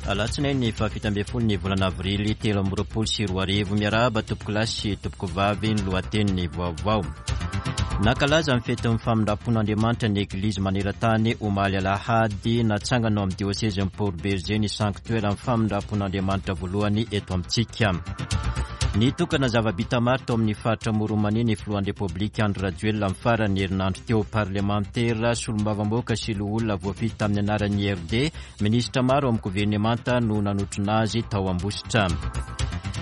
Alatsinainy faha-17 ny volana avrily 2023. Miarahaba tompokolahy sy tompokovavy ny lohatenin'ny vaovao. Nankalaza ny fetin'ny famindram-pon'Andriamanitra ny Eglizy maneran-tany omaly alahady. Natsangana ao amin'ny diosezin'i Port Bergé ny sanktoeran'ny famindram-pon'Andriamanitra voalohany eto amintsika. Nitokana zava-bita maro tao amin'ny faritra Amoron'i ny filohan'ny Repoblika Andry Rajoelina amin'ny faran'ny herinandro teo. Parlemantera, solombavambahoaka sy loholona voafidy tamin'ny anaran'ny IRD Minisitra maro ao amin'ny governemanta no nanotrona azy tao Ambositra.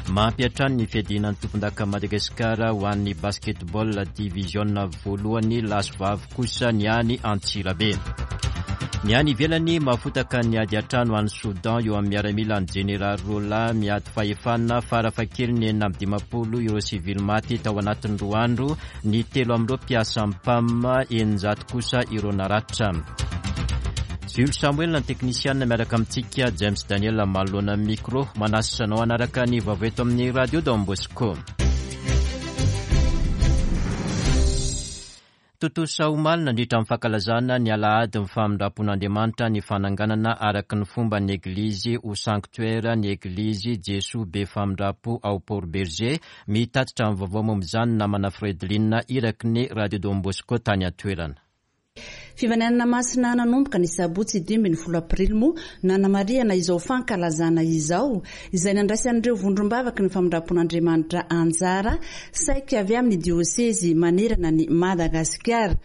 Mampiantrano ny fiadiana ny tompondakan'i Madagasikara ho an'ny basketball diviziona voalohany lahy sy vavy kosa ny any Antsirabe. Ny any ivelany mahafotaka ny ady an-trano any Soudan eo amin'ny miaramila ny jeneraly Rola miady fahefana farafahakeliny 56 ireo sivily maty tao anatin'ny roa andro Ny telo amin'ireo mpiasan'ny PAM, 600 kosa ireo naratra. Jules Samuel ny teknisianina miaraka amintsika, James Daniel manoloana ny micro. Manasa anao hanaraka ny vaovao eto amin'ny Radio Don Bosco. Tontosa omaly nandritra ny fankalazana ny alahady ny famindram-pon'Andriamanitra ny fananganana araka ny fomban'ny Eglizy ho sanctuaire ny Eglizy Jesoa Be Famindram-po ao Port Bergé. Mitatitra ny vaovao momba izany ny namana Fredeline iraky ny Radio Don Bosco tany an-toerana. Fivaninanana masina nanomboka ny sabotsy 15 aprily moa nanamarihana izao fankalazana izao, izay nandraisan'ireo vondrom-bavaky ny famindram-pon'Andriamanitra anjara saika avy amin'ny diosezy manerana an'i Madagasikara.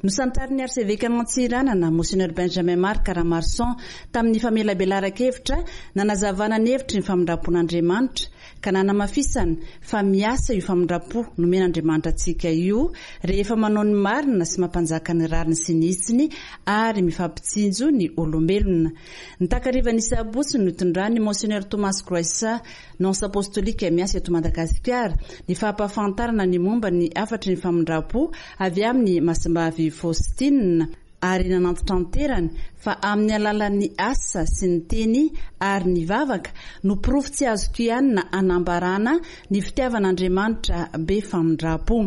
Nosantarin'ny Arsevekan'Antsiranana, Monseigneur Benjamin Marc Ramarson, tamin'ny famelabelaran-kevitra nanazavana ny hevitry ny famindram-pon'Andriamanitra, ka nanamafisany fa miasa io famindram-po nomen'Andriamanitra antsika io rehefa manao ny marina sy mampanjaka ny rariny sy ny hitsiny ary mifampitsinjo ny olombelona. Ny takarivan'ny sabotsy no nitondran'i Monseigneur Thomas Groissa, Nonce Apostolique miasa eto Madagasikara, ny fampahafantarana ny momba ny hafatry ny famindram-po avy amin'i Masimbavy Faustine, ary nanantitranterany fa amin'ny alalan'ny asa sy ny teny ary ny vavaka no porofo tsy azo kianina hanambarana ny fitiavan'Andriamanitra be famindram-po.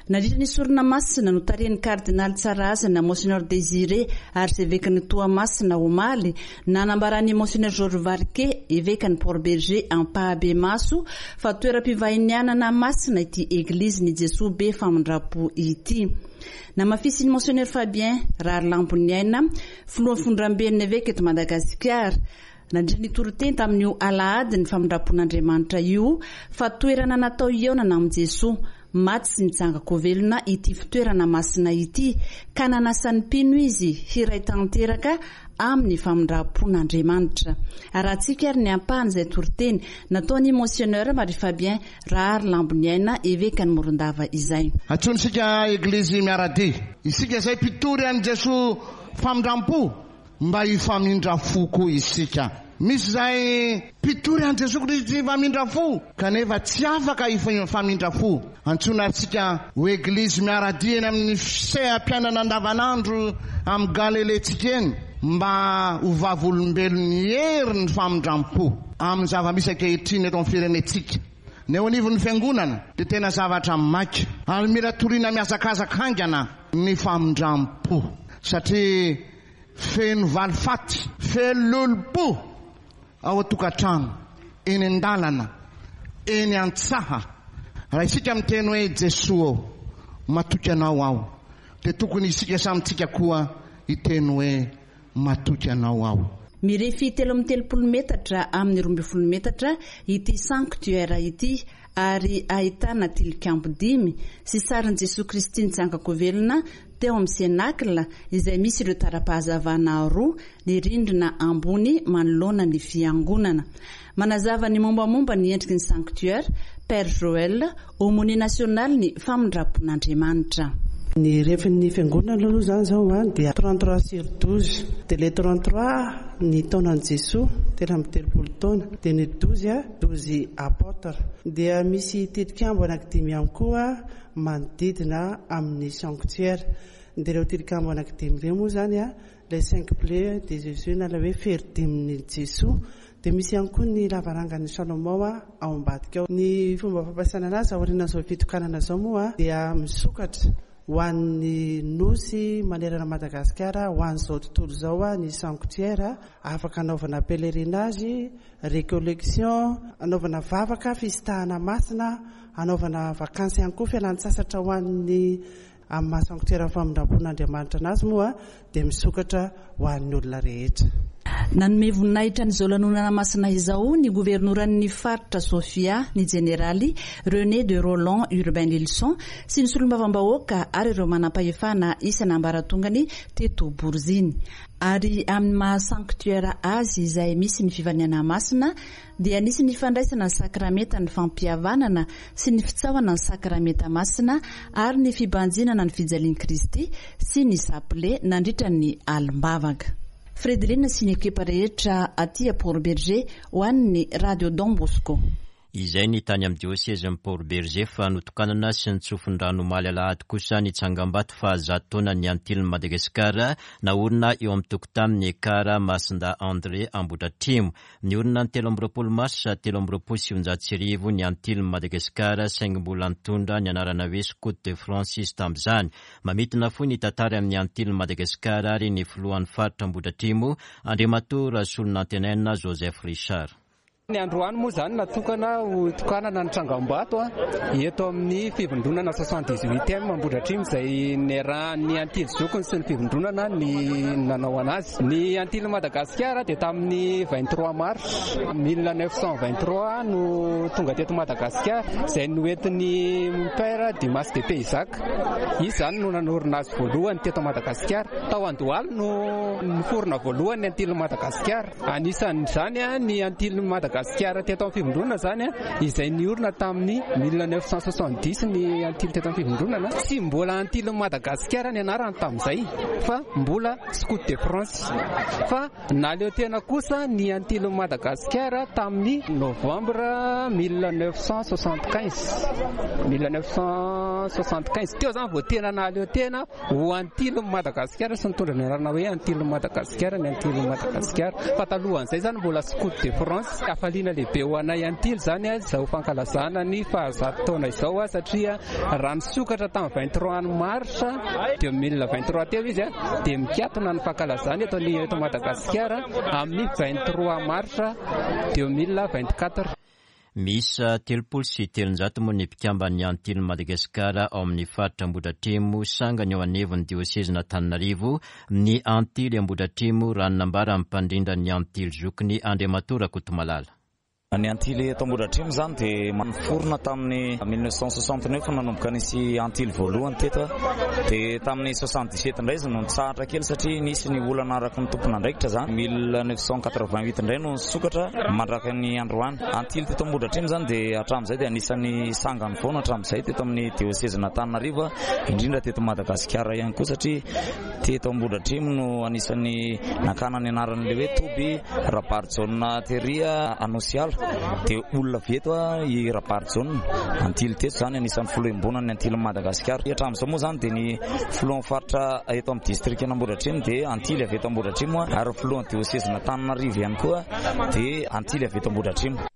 Nandritra ny sorona masina notarihin'ny Kardinaly Tsarahasina Monseigneur Désiré Arsevekan'i Toamasina omaly, nanambaran'i Monseigneur Georges Varquet, Evekan'i Port Bergé ampahabemaso fa toeram-pivahinianana masina ity Eglizin'i Jesoa be famindram-po ity. Namafisin'i Monseigneur Fabien Raharilamboniaina, filohan'ny Fondramben'ny Eveka eto Madagasikara, nandritra ny toriteny tamin'io alahadin'ny famindram-pon'Andriamanitra io fa toerana natao hihaonana amin'i Jesoa maty sy nitsangan-ko velona ity fitoerana masina ity ka nanasan'ny mpino izy hiray tanteraka amin'ny famindram-pon'Andriamanitra. Arahantsika ary ny ampahan'izay toriteny nataon'i Monseigneur Marie Fabien Raharilamboniaina, Evekan'i Morondava izay. Antsointsika Eglizy miara-dia. Isika izay mpitory an'i Jesoa famindram-po, mba hifamindra fo koa isika. Misy izay mpitory an'i Jesoa Kristy famindra fo, kanefa tsy afaka hifamindra fo. Antsoina ary isika ho Eglizy miara-dia eny amin'ny seha-piainana andavanandro amin'ny Galilentsika eny, mba ho vavolombelon'ny herin'ny famindram-po. Amin'ny zava-misy ankehitriny eto amin'ny firenentsika, ny eo anivon'ny Fiangonana dia tena zavatra maika ary mila toriana mihazakazaka haingana ny famindram-po satria feno valifaty, feno lolompo ao an-tokantrano, eny an-dalana, eny an-tsaha. Raha isika miteny hoe Jesoa ô, matoky Anao aho, dia tokony isika samy tsika koa hiteny hoe Matoky anao aho. Mirefy 33 metatra amin'ny 12 metatra ity sanctuaire ity ary ahitana tilikambo dimy sy sarin'i Jesoa Kristy nitsangan-kovelona teo amin'ny Cénacle izay misy ireo tara-pahazavana roa ny rindrina ambony manoloana ny fiangonana. Manazava ny mombamomba ny endriky ny sanctuaire, Père Joël, Aumônier national ny famindram-pon'Andriamanitra. Ny refin'ny fiangonana aloha izany izao dia 33 sur 12. Dia ilay 33 ny taonan'i Jesoa, 33 taona. Dia ny 12, 12 apôtres. Dia misy tilikambo anankidimy ihany koa manodidina amin'ny sanctuaire. Dia ireo tilikambo anankidimy ireo moa izany, ilay cinq plaies de Jésus na ilay hoe fery dimin'i Jesoa. Dia misy ihany koa ny lavarangan'i Salomao ao ambadika ao. Ny fomba fampiasana anazy aorian'izao fitokanana izao moa dia misokatra. Ho an'ny Nosy manerana Madagasikara, ho an'izao tontolo izao ny sanctuaire, afaka anaovana pèlerinage, recollection, anaovana vavaka, fisintahana masina, anaovana vakansy ihany koa, fialan-tsasatra ho an'ny Amin'ny maha sanctuaire famindram-pon'Andriamanitra anazy moa dia misokatra ho an'ny olona rehetra. Nanome voninahitra an'izao lanonana masina izao ny governoran'ny faritra Sofia, ny jeneraly René de Rolland Urbain Lilson sy ny solombavambahoaka ary ireo manampahefana isan'ambaratongany teto Boriziny. Ary amin'ny maha sanctuaire azy izay misy ny fivaniana masina dia nisy ny fandraisana ny sakramentan'ny fampihavanana sy ny fitsaohana ny sakramenta masina ary ny fibanjinana ny fijalian'i Kristy sy ny sapile nandritra ny alim-bavaka. Fredeline sy ny ekipa rehetra aty Port Bergé ho an'ny Radio Don Bosco. Izay ny tany amin'ny diosezin'i Port Bergé fa notokanana sy nitsofin-drano omaly alahady kosa ny tsangambato fahazato taonan'ny Antilin'i Madagasikara naorina eo amin'ny tokotanin'ny Ekar Masindahy André Ambohidratrimo. Niorina ny 23 marsa 1923 ny Antilin'i Madagasikara saingy mbola nitondra ny anarana hoe Scout de France izy tamin'izany. Mamintina fohy ny tantara amin'ny Antilin'i Madagasikara ary ny filohan'ny faritra Ambohidratrimo, Andriamatoa Rasolonantenaina Joseph Richard. Ny androany moa izany natokana ho tokanana ny tsangambato eto amin'ny fivondronana 78 ème Ambohidratrimo izay niarahan'ny Antily zokiny sy ny fivondronana ny nanao anazy. Ny Antilin'i Madagasikara dia tamin'ny 23 mars 1923 no tonga teto Madagasikara, izay noentin'ny Père Dumas de Payzac. Izy izany no nanorina azy voalohany teto Madagasikara. Tao Andohalo no niforona voalohany ny Antilin'i Madagasikara. Anisan'izany ny Antilin'i Madagasikara teto amin'ny Fivondronana izany, izay niorina tamin'ny 1970 ny Antily teto amin'ny Fivondronana. Tsy mbola Antilin'i Madagasikara ny anarany tamin'izay fa mbola Scout de France fa nahaleo tena kosa ny Antilin'i Madagasikara tamin'ny novembre 1975 1975 teo zany vao tena nahaleo tena ho Antilin'i Madagasikara sy nitondra ny anarana hoe Antilin'i Madagasikara ny Antilin'i Madagasikara fa talohan'izay zany mbola Scout de France. Hafaliana lehibe ho anay Antily zany izao fankalazana ny fahazato taona izao satria raha nisokatra tamin'ny 23 mars 2023 teo izy dia mikatona ny fankalazana eto eto Madagasikara amin'ny 23 mars 2024. Miisa 330 moa ny mpikamban'ny Antilin'i Madagasikara ao amin'ny faritra Ambohidratrimo, sangany eo anivon'ny diosezin'Antananarivo, ny Antily Ambohidratrimo, raha ny nambaran'ny mpandrindra ny Antily zokiny, Andriamatoa Rakotomalala. Ny Antily eto Ambohidratrimo izany dia niforona tamin'ny 1969 nanomboka nisy Antily voalohany teto dia tamin'ny 77 indray izy no nitsahatra kely satria nisy ny olana araka ny tompon'andraikitra izany. 1988 indray no nisokatra mandraka ny androany. Antily teto Ambohidratrimo izany dia hatramin'izay dia anisan'ny sangany foana hatramin'izay teto amin'ny diosezin'Antananarivo indrindra teto Madagasikara ihany koa satria Teto Ambohidratrimo no anisan'ny nakana ny anaran'ilay hoe toby Rabarijaona tery Anosiala. Dia olona avy eto i Rabarijaona, Antily teto izany, anisan'ny filoha iombonan'ny Antilin'i Madagasikara. Hatramin'izao moa izany dia ny filohan'ny faritra eto amin'ny distrikan'Ambohidratrimo dia Antily avy eto Ambohidratrimo ary ny filohan'ny diosezin'Antananarivo ihany koa dia Antily avy eto Ambohidratrimo.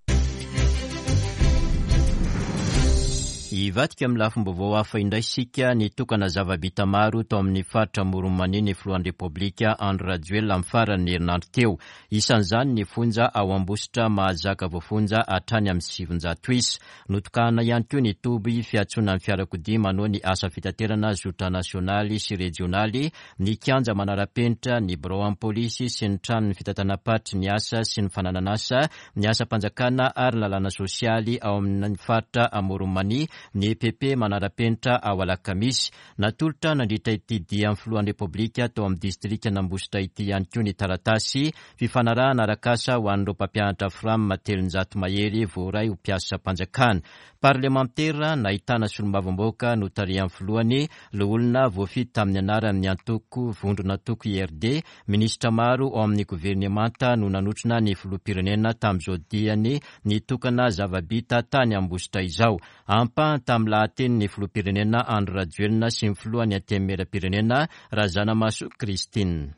Hivadika amin'ny lafim-baovao hafa indray isika, nitokana zava-bita maro tao amin'ny faritra Amoron'i Mania ny filohan'ny Repoblika Andry Rajoelina amin'ny faran'ny herinandro teo. Isan'izany ny fonja ao Ambositra mahazaka voafonja hatrany amin'ny 900 isa. Notokanana ihany koa ny toby fiantsonan'ny fiarakodia manao ny asa fitaterana zotra nasionaly sy rejionaly, ny kianja manara-penitra, ny birao amin'ny polisy sy ny tranon'ny fitantanam-paritry ny asa sy ny fananan'asa, ny asam-panjakana ary ny lalàna sosialy ao amin'ny faritra Amoron'i Mania, ny EPP manara-penitra ao Alakamisy. Natolotra nandritra ity dian'ny filohan'ny Repoblika tao amin'ny distrikan'Ambositra ity ihany koa ny taratasy fifanarahana arak'asa ho an'ireo mpampianatra Fram 300 mahery voaray ho mpiasam-panjakana. Parlemantera nahitana solombavambahoaka notarihan'ny filohany, loholona voafidy tamin'ny anaran'ny antoko vondron'antoko IRD, Minisitra maro ao amin'ny governemanta no nanotrona ny filoham-pirenena tamin'izao diany nitokana zava-bita tany Ambositra izao. Ampahany tamin'ny lahatenin'ny filoham-pirenena Andry Rajoelina sy ny filohan'ny Antenimierampirenena Razanamahasoa Christine.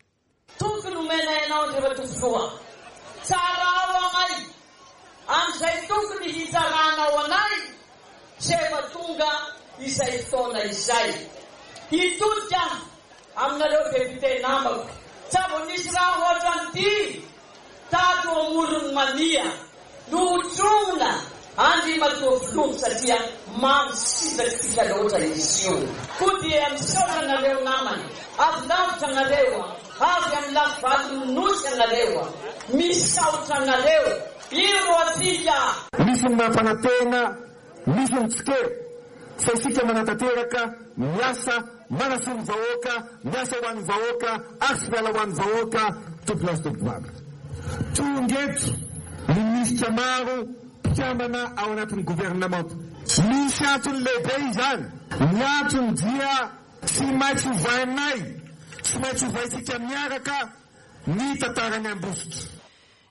Toky nomenay anao Andriamatoa Filoha. Tsarao anay amin'izay tokony hitsaranao anay Tsy efa tonga izay fotoana izay. Hitodika aminareo député namako. Tsa vao nisy raha hoatran'ity tato Amoron'i Mania no hotromina Andriamatoa Filoha satria mamy sitratsika loatra izy io. Koa dia misaotra anareo namana, avy lavitra anareo, avy amin'ny lafivalon'ny Nosy anareo, misaotra anareo, io ro atsika. Misy ny mampanantena, misy ny tsikera, fa isika manatanteraka, miasa, manasoa ny vahoaka, miasa ho an'ny vahoaka ary tsy miala ho an'ny vahoaka, tompolahy sy tompovavy. Tonga eto ny minisitra maro mpikambana ao anatin'ny governemanta. Misy antony lehibe izany. Ny antony dia tsy maintsy ovainay, tsy maintsy ovaintsika miaraka ny tantaran'i Ambositra.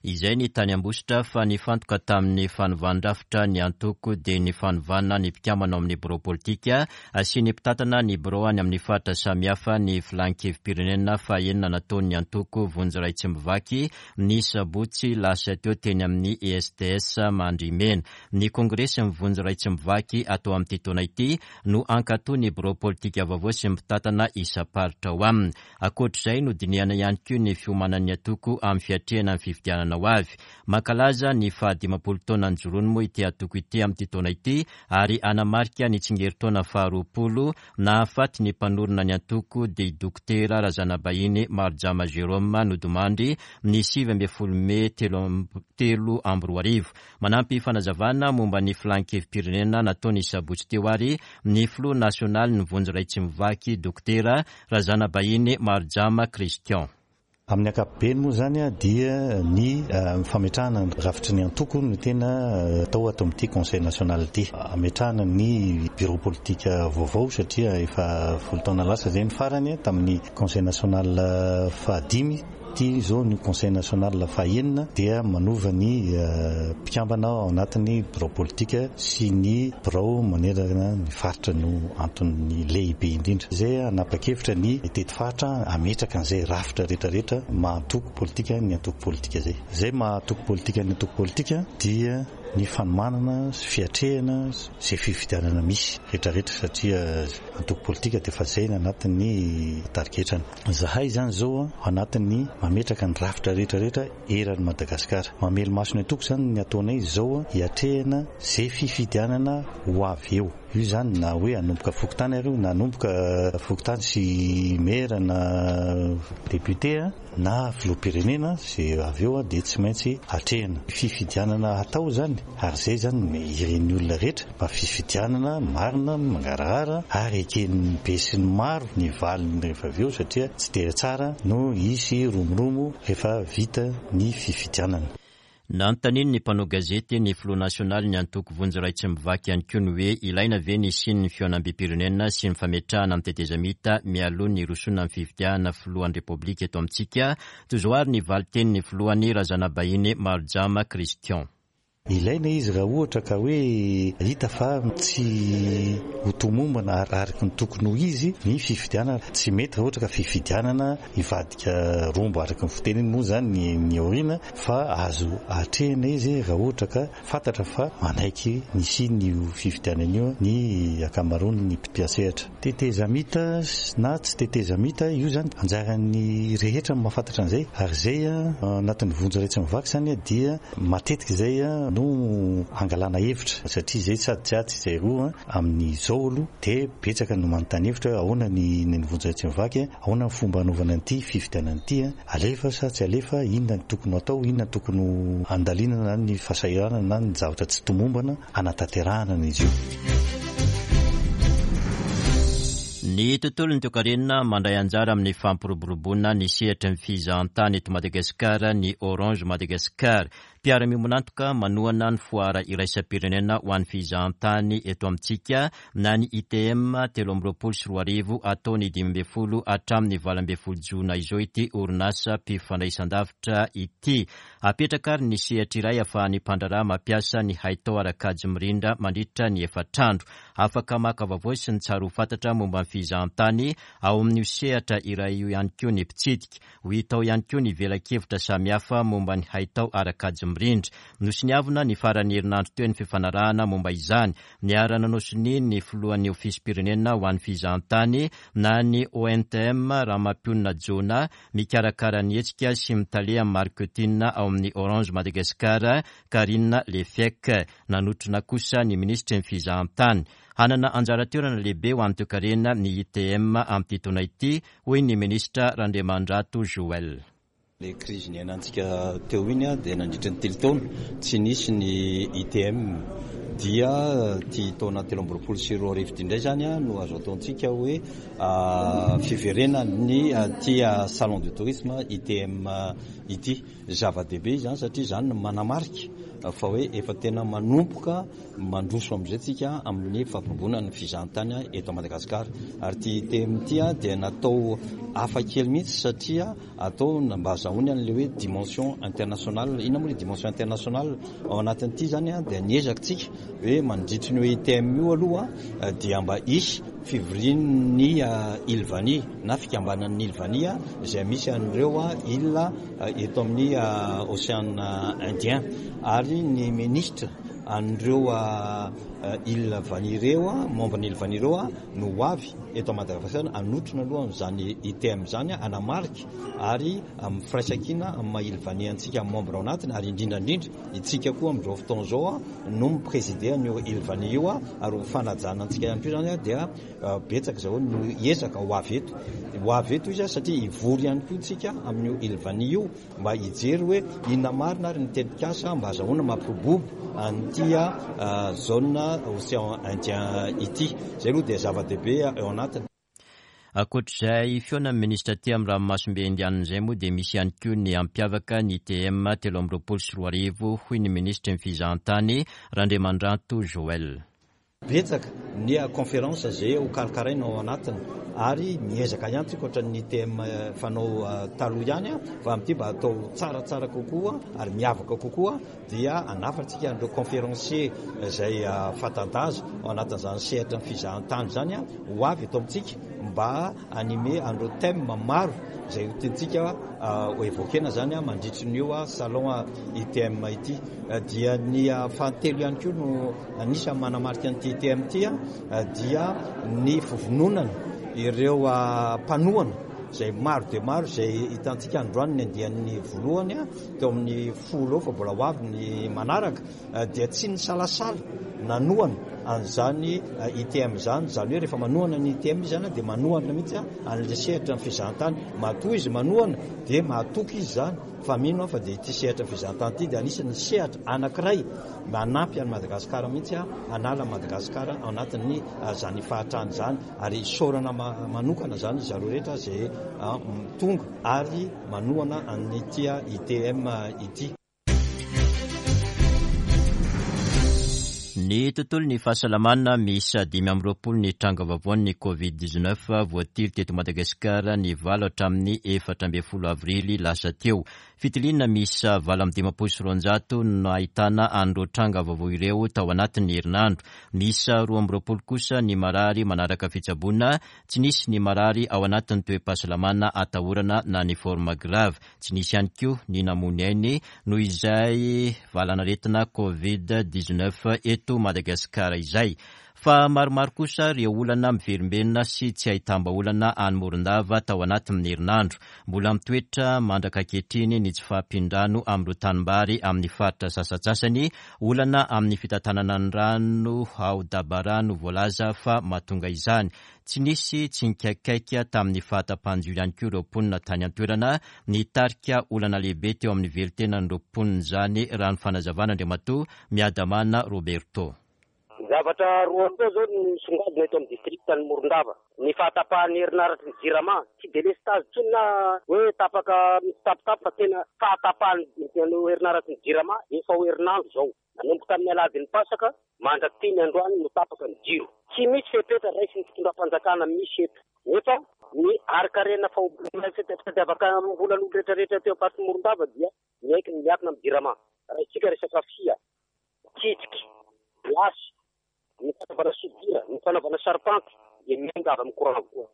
Izay ny tany Ambositra fa nifantoka tamin'ny fanovan-drafitra ny antoko dia ny fanovana ny mpikambana ao amin'ny birao politika sy ny mpitantana ny birao any amin'ny faritra samihafa ny filan-kevi-pirenena fahenina nataon'ny antoko Vonjy Ray Tsy Mivaky ny sabotsy lasa teo teny amin'ny ESTS Mandrimena. Ny kongresin'ny Vonjy Ray Tsy Mivaky atao amin'ity taona ity no hankatoa ny birao politika vaovao sy ny mpitantana isam-paritra ao aminy. Ankoatra izay, nodinihana ihany koa ny fiomanan'ny antoko amin'ny fiatrehana ny fifidianana ho avy. Mankalaza ny fahadimampolo taona nijoroany moa ity antoko ity amin'ity taona ity ary hanamarika ny tsingerin-taona faharoapolo nahafaty ny mpanorina ny antoko dia i Dokotera Razanabahiny Marojama Jérôme nodimandry ny 19 mey 2003. Manampy fanazavana momba ny filan-kevi-pirenena natao ny sabotsy teo ary ny filoha nasionalin'ny Vonjy Ray Tsy Mivaky Dokotera Razanabahiny Marojama Christian. Amin'ny ankapobeny moa izany dia ny fametrahana ny rafitry ny antoko no tena atao ato amin'ity Conseil national ity. Ametrahana ny bureau politique vaovao satria efa folo taona lasa izay ny farany tamin'ny Conseil national fahadimy. Ity izao ny Conseil national fahenina dia manova ny mpikambana ao anatin'ny birao politika sy ny birao manerana ny faritra no antony lehibe indrindra. Izay hanapa-kevitra ny hitety faritra hametraka an'izay rafitra rehetra rehetra maha antoko politika ny antoko politika izay. Izay maha antoko politika ny antoko politika dia ny fanomanana sy fiatrehana izay fifidianana misy rehetra rehetra satria antoko politika dia efa izay ny anatin'ny tarigetrany. Zahay izany izao ao anatin'ny mametraka ny rafitra rehetra rehetra eran'i Madagasikara. Mamelo-maso ny antoko izany ny ataonay izao hiatrehana ze fifidianana ho avy eo. Io izany na hoe hanomboka fokontany ary io na hanomboka fokontany sy maire na député. Na filoham-pirenena ze avy eo dia tsy maintsy atrehina. Fifidianana hatao izany ary izay izany no irin'ny olona rehetra mba fifidianana marina, mangarahara ary eken'ny be sy ny maro ny valiny rehefa avy eo satria tsy dia tsara no hisy romoromo rehefa vita ny fifidianana. Nanontanian'ny mpanao gazety ny filoha nasionalin'ny antoko Vonjy Ray Tsy Mivaky ihany koa ny hoe ilaina ve ny hisian'ny fihaonambem-pirenena sy ny fametrahana ny tetezamita mialoha ny hirosoana amin'ny fifidianana filohan'ny Repoblika eto amintsika? Toy izao ary ny valin-tenin'ny filohany Razanabahiny Marojama Christian. Ilaina izy raha ohatra ka hoe hita fa tsy ho tomombana araka ny tokony ho izy ny fifidianana. Tsy mety raha ohatra ka fifidianana hivadika rombo araka ny fiteniny moa izany ny aoriana fa azo atrehina izy raha ohatra ka fantatra fa manaiky ny hisian'io fifidianana io ny ankamaroan'ny mpiasehatra. Tetezamita na tsy tetezamita, io izany anjaran'ny rehetra no mahafantatra an'izay ary izay anatin'ny vonjy iray tsy mivaky izany dia matetika izay no angalana hevitra satria izay sady tsy atsy izay roa amin'izao aloha dia betsaka no manontany hevitra hoe ahoana ny ny vonjy iray tsy mivaky, ahoana ny fomba hanaovana an'ity fifidianana ity, alefa sa tsy alefa, inona no tokony ho atao, inona no tokony ho andalinana na ny fahasahiranana na ny zavatra tsy tomombana hanatanterahana an'izy io. Ny tontolon'ny toekarena mandray anjara amin'ny fampiroboroboana ny sehatry ny fizahantany eto Madagasikara ny Orange Madagascar. Mpiara-miombon'antoka manohana ny foara iraisam-pirenena ho an'ny fizahantany eto amintsika na ny ITM 2023 atao ny 15 hatramin'ny 18 jona izao ity orinasa mpifandraisandavitra ity. Apetraka ary ny sehatra iray ahafahan'ny mpandraharaha mampiasa ny haitao ara-kajy mirindra mandritra ny efatr'andro. Afaka maka vaovao sy ny tsara ho fantatra momba ny fizahantany. fizahantany ao amin'io sehatra iray io ihany koa ny mpitsidika. Ho hita ao ihany koa ny velakevitra samihafa momba ny haitao ara-kajy mirindra. Nosoniavina ny faran'ny herinandro teo ny fifanarahana momba izany. Niara-nanao sonia ny filohan'ny Ofisim-pirenena ho an'ny fizahantany na ny ONTM, Ramampionona Jonah, mikarakara ny hetsika sy mitale amin'ny marketing ao amin'ny Orange Madagascar, Karine Lefeque. Nanotrona kosa ny minisitry ny fizahantany. Hanana anjara toerana lehibe ho an'ny toekarena ny ITM amin'ity taona ity, hoy ny minisitra Randriamandrato Joël. Ilay krizy niainantsika teo iny dia nandritra ny telo taona tsy nisy ny ITM dia ity taona 2023 ity indray izany no azo ataontsika hoe fiverenan'ny ity salon de tourisme ITM ity. Zava-dehibe izany satria izany no manamarika fa hoe efa tena manomboka mandroso amin'izay tsika amin'ny fampirobona ny fizahantany eto Madagasikara. Ary ity ITM ity dia natao hafa kely mihitsy satria atao mba azahoany an'ilay hoe dimension internationale. Inona moa ilay dimension internationale? Ao anatin'ity izany dia niezaka tsika hoe mandritry ny ITM io aloha dia mba hisy fivorian'ny île Vania na fikambanan'ny île Vania izay misy an'ireo île eto amin'ny Ocean Indien ary ny ministra an'ireo île Vania ireo, membre ny île Vania ireo no ho avy eto Madagasikara hanotrona aloha an'izany ITM izany, hanamarika ary amin'ny firaisankina amin'ny maha île Vania antsika membre ao anatiny ary indrindra indrindra isika koa amin'izao fotoana izao no mi-presider an'io île Vania io ary ho fanajana antsika ihany koa izany dia betsaka izao no hiezaka ho avy eto. Ho avy eto izy satria hivory ihany koa isika amin'io île Vania io mba hijery hoe inona marina ary ny tetikasa mba azahoana mampirobobo an'ity zone océan Indien ity. Izay aloha dia zava-dehibe ao anatiny. Ankoatr'izay fihaonan'ny minisitra aty amin'ny ranomasimbe Indianina izay moa dia misy ihany koa ny hampiavaka ny ITM 2023 hoy ny minisitry ny fizahantany Randriamandranto Joël. Betsaka ny conférence izay ho karakaraina ao anatiny ary miezaka ihany tsika ohatran'ny ITM fanao taloha ihany fa amin'ity mba atao tsaratsara kokoa ary miavaka kokoa dia hanafatsika an'ireo conférencier izay fanta-daza ao anatin'izany sehatra ny fizahantany izany ho avy eto amintsika mba animer an'ireo thème maro izay ho tiantsika ho évoquer-na izany mandritry ny io salon ITM ity. Dia ny fahatelo ihany koa no anisan'ny manamarika an'ity ITM ity dia ny fivononana ireo mpanohana izay maro dia maro izay hitantsika androany ny andiany voalohany teo amin'ny 10 eo fa mbola ho avy ny manaraka dia tsy nisalasala nanohana an'izany ITM izany, izany hoe rehefa manohana ny ITM izy izany dia manohana mihitsy an'ilay sehatra ny fizahantany, matoa izy manohana dia mahatoky izy izany fa mino aho fa dia ity sehatra ny fizahantany ity dia anisan'ny sehatra anankiray manampy an'i Madagasikara mihitsy hanala an'i Madagasikara ao anatin'ny izany fahatrana izany ary isaorana manokana izany zareo rehetra izay tonga ary manohana an'ity ITM ity. Ny tontolon'ny fahasalamana, miisa 25 ny tranga vaovaon'ny Covid 19 voatily teto Madagasikara ny 8 hatramin'ny 14 avrily lasa teo. Fitiliana miisa 258 no nahitana an'ireo tranga vaovao ireo tao anatin'ny herinandro. Miisa 22 kosa ny marary manaraka fitsaboana, tsy nisy ny marary ao anatin'ny toe-pahasalamana atahorana na ny forme grave. Tsy nisy ihany koa ny namoy ny ainy noho izay valanaretina Covid 19 eto Madagasikara izay. Fa maromaro kosa ireo olana miverimberina sy tsy ahitam-bahaolana any Morondava tao anatin'ny herinandro. Mbola mitoetra mandraka ankehitriny ny tsy fahampian-drano amin'ireo tanimbary amin'ny faritra sasantsasany. Olana amin'ny fitantanana ny rano ao Dabara no voalaza fa mahatonga izany. Tsy nisy tsy nikaikaika tamin'ny fahatapahan-jiro ihany koa ireo mponina tany an-toerana. Nitarika olana lehibe teo amin'ny velon-tenan'ireo mponina izany, raha ny fanazavan'Andriamatoa Miadamana Roberto. Zavatra roa roa izao no misongadina eto amin'ny distrikan'i Morondava. Ny fahatapahan'ny herinaratry ny Jirama. Tsy delestazy intsony na hoe tapaka mitsitapitapy fa tena fahatapahan'ny herinaratry ny Jirama efa ho herinandro izao. Nanomboka tamin'ny alahadin'ny Pasaka mandrak'ity ny androany no tapaka ny jiro. Tsy misy fepetra raisin'ny fitondram-panjakana misy eto. Nefa ny harin-karena fitadiavam-bolan'olo rehetrarehetra teo am-paritry Morondava dia miaiky ny miankina amin'ny Jirama. Raisitsika resaka fia, tsitsiky, lasy, ny fanaovana soudure, ny fanaovana charpente. dia miainga avy amin'ny courant avokoa.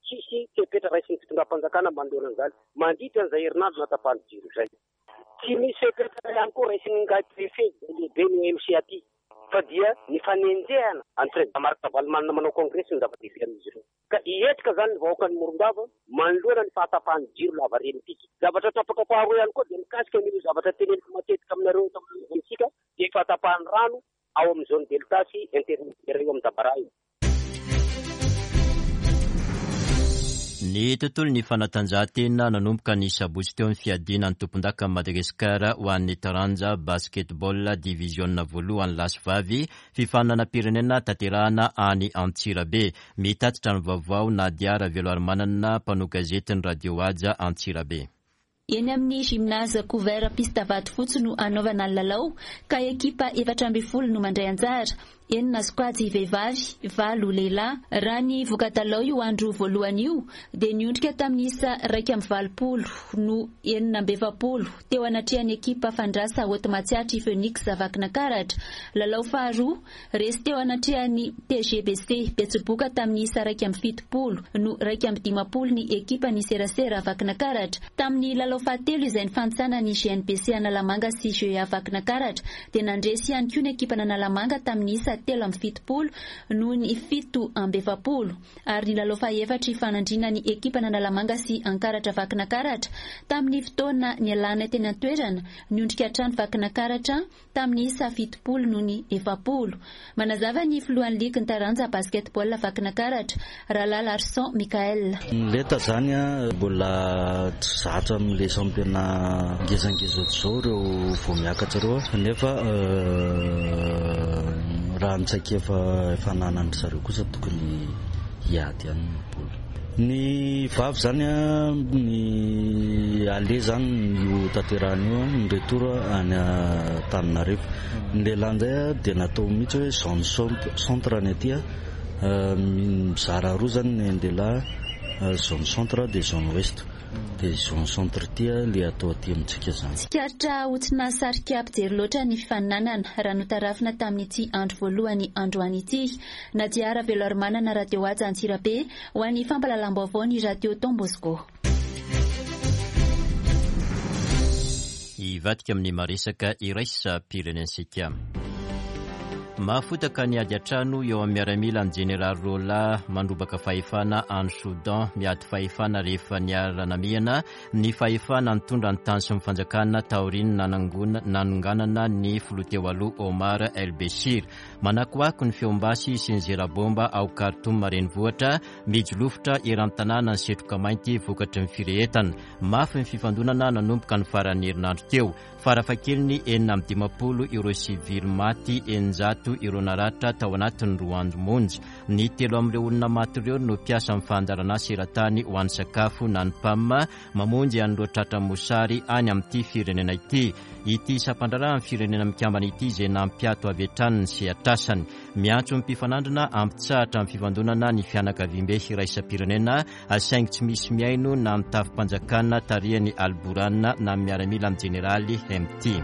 Tsisy fepetra raisin'ny fitondram-panjakana manoloana an'izany mandritra an'izay herinandro natapahan'ny jiro izay. Tsy misy fepetra ihany koa raisin'ingahy Préfet izay lehiben'ny OMC aty fa dia ny fanenjehana an'i Président Marc Ravalomanana manao kongresy no zava-dehibe amin'izy ireo. Ka hihetsika izany ny vahoakan'i Morondava manoloana ny fahatapahan'ny jiro lavareny ity. Zavatra tapaka faharoa ihany koa dia mikasika an'ireo zavatra teneniko matetika aminareo eto amintsika dia fahatapahan'ny rano ao amin'ny zone delta sy intermediaire io amin'ny Dabaraha io. Ny tontolon'ny fanatanjahantena nanomboka ny sabotsy teo ny fiadiana ny tompondakan'i Madagasikara ho an'ny taranja basketball diviziona voalohany lahy sy vavy, fifaninanam-pirenena tanterahana any Antsirabe. Mitatitra ny vaovao Nadia Raveloarimanana, mpanao gazetin'ny Radio Haja Antsirabe. Eny amin'ny Gymnase Couvert Piste Vatofotsy no hanaovana ny lalao ka ekipa 14 no mandray anjara, enina sokajy vehivavy, valo lehilahy. Raha ny voka-dalao io andro voalohany io dia niondrika tamin'ny isa 81 no 46 teo anatrehan'ny ekipa Fandrasa Haute Matsiatra i Phoenix Vakinankaratra. Lalao faharoa, Resy teo anatrehan'ny TGBC Betsiboka tamin'ny isa 71 no 51 ny ekipan'ny serasera Vakinakaratra. Tamin'ny lalao fahatelo izay nifantsana ny GNBC Analamanga sy GEA Vakinakaratra dia nandresy ihany koa ny ekipan'Analamanga tamin'ny isa 73 noho ny 47. Ary ny lalao fahaefatra hifanandrinan'ny ekipan'Analamanga sy Ankaratra Vakinakaratra tamin'ny fotoana nialanay teny an-toerana, niondrika hatrany Vakinakaratra tamin'ny isa 70 noho ny 40. Manazava ny filohan'ny ligin'ny taranja basketball Vakinakaratra, Ralala Arson Mickaël. Ny lenta zany mbola tsy zatra amin'ilay championnat ngezangeza ohatr'izao ireo vao miakatra ireo nefa raha ny traikefa efa ananan'dry zareo kosa tokony hiady ihany ny baolina. Ny vavy zany ny aller zany io tanterahana io, ny retour any Antananarivo. Ny lehilahy indray dia natao mihitsy hoe zone centre ny aty, mizara roa zany ny lehilahy, zone centre dia zone ouest. Dia zone centre ity ilay atao aty amintsika izany. Tsikaritra ho tsy nahasarika mpijery loatra ny fifaninanana raha notarafina tamin'ity andro voalohany androany ity. Nadia Raveloarimanana Radio Haja Antsirabe ho an'ny fampahalalam-baovao ny Radio Don Bosco. Hivadika amin'ny maresaka iraisam-pirenentsika. Mahafotaka ny ady an-trano eo amin'ny miaramila ny jeneraly Rola mandrobaka fahefana any Soudan miady fahefana rehefa niara-namehana ny fahefana nitondra ny tany sy ny fanjakana taorian'ny nanonganana ny filoha teo aloha Omar El Bechir. Manakoako ny feom-basy sy ny zera bomba ao Khartoum renivohitra, mijolofotra eran'ny tanàna ny setroka mainty vokatry ny firehetana. Mafy ny fifandonana nanomboka ny faran'ny herinandro teo. Farafahakeliny 56 ireo sivily maty, 600 ireo naratra tao anatin'ny roa andro monja. Ny telo amin'ireo olona maty ireo no mpiasan'ny fandaharanasa eran-tany ho an'ny sakafo na ny PAM, mamonjy an'ireo tratra mosary any amin'ity firenena ity. Ity sampandraharahan'ny Firenena Mikambana ity izay nampiato avy hatrany ny sehatr'asany. Miantso ny mpifanandrina hampitsahatra ny fifandonana ny fianakaviambe iraisam-pirenena saingy tsy misy mihaino na ny tafi-panjakana tarihan'i Al-Burhan na ny miaramila amin'ny jeneraly Hemti.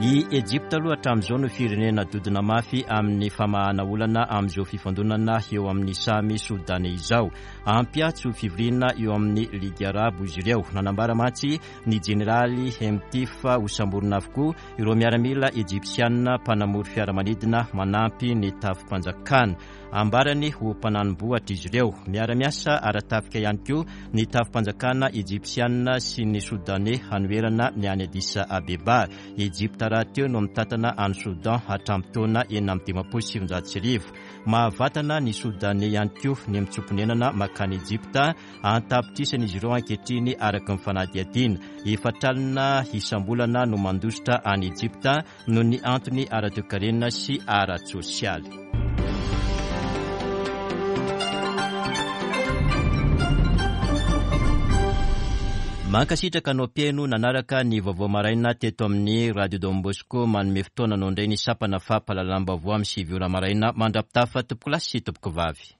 I Ejipta aloha hatramin'izao no firenena dodona mafy amin'ny famahana olana amin'izao fifandonana eo amin'ny samy Sodaney izao. Hampiatso fivoriana eo amin'ny Ligy Arabo izy ireo. Nanambara mantsy ny jeneraly Hemti fa hosamborina avokoa ireo miaramila ejipsianina mpanamory fiaramanidina manampy ny tafi-panjakana. Ambarany ho mpananim-bohitra izy ireo. Miara-miasa ara-tafika ihany koa ny tafi-panjakana ejipsianina sy ny sodaney hanoherana ny any Addis Abeba. Ejipta rahateo no mitantana an'i Soudan hatramin'ny taona 1956. Mahavatana ny Sodaney ihany koa ny mitsoa-ponenana mankany Ejipta. An-tapitrisany izy ireo ankehitriny araka ny fanadihadiana. Efatr'alina isam-bolana no mandositra any Ejipta noho ny antony ara-toekarena sy ara-tsosialy. Mankasitraka anao mpihaino nanaraka ny vaovao maraina teto amin'ny Radio Don Bosco. Manome fotoana anao indray ny sampana fampahalalam-baovao amin'ny 9 ora maraina. Mandra-pitafa tompokolahy sy tompokovavy.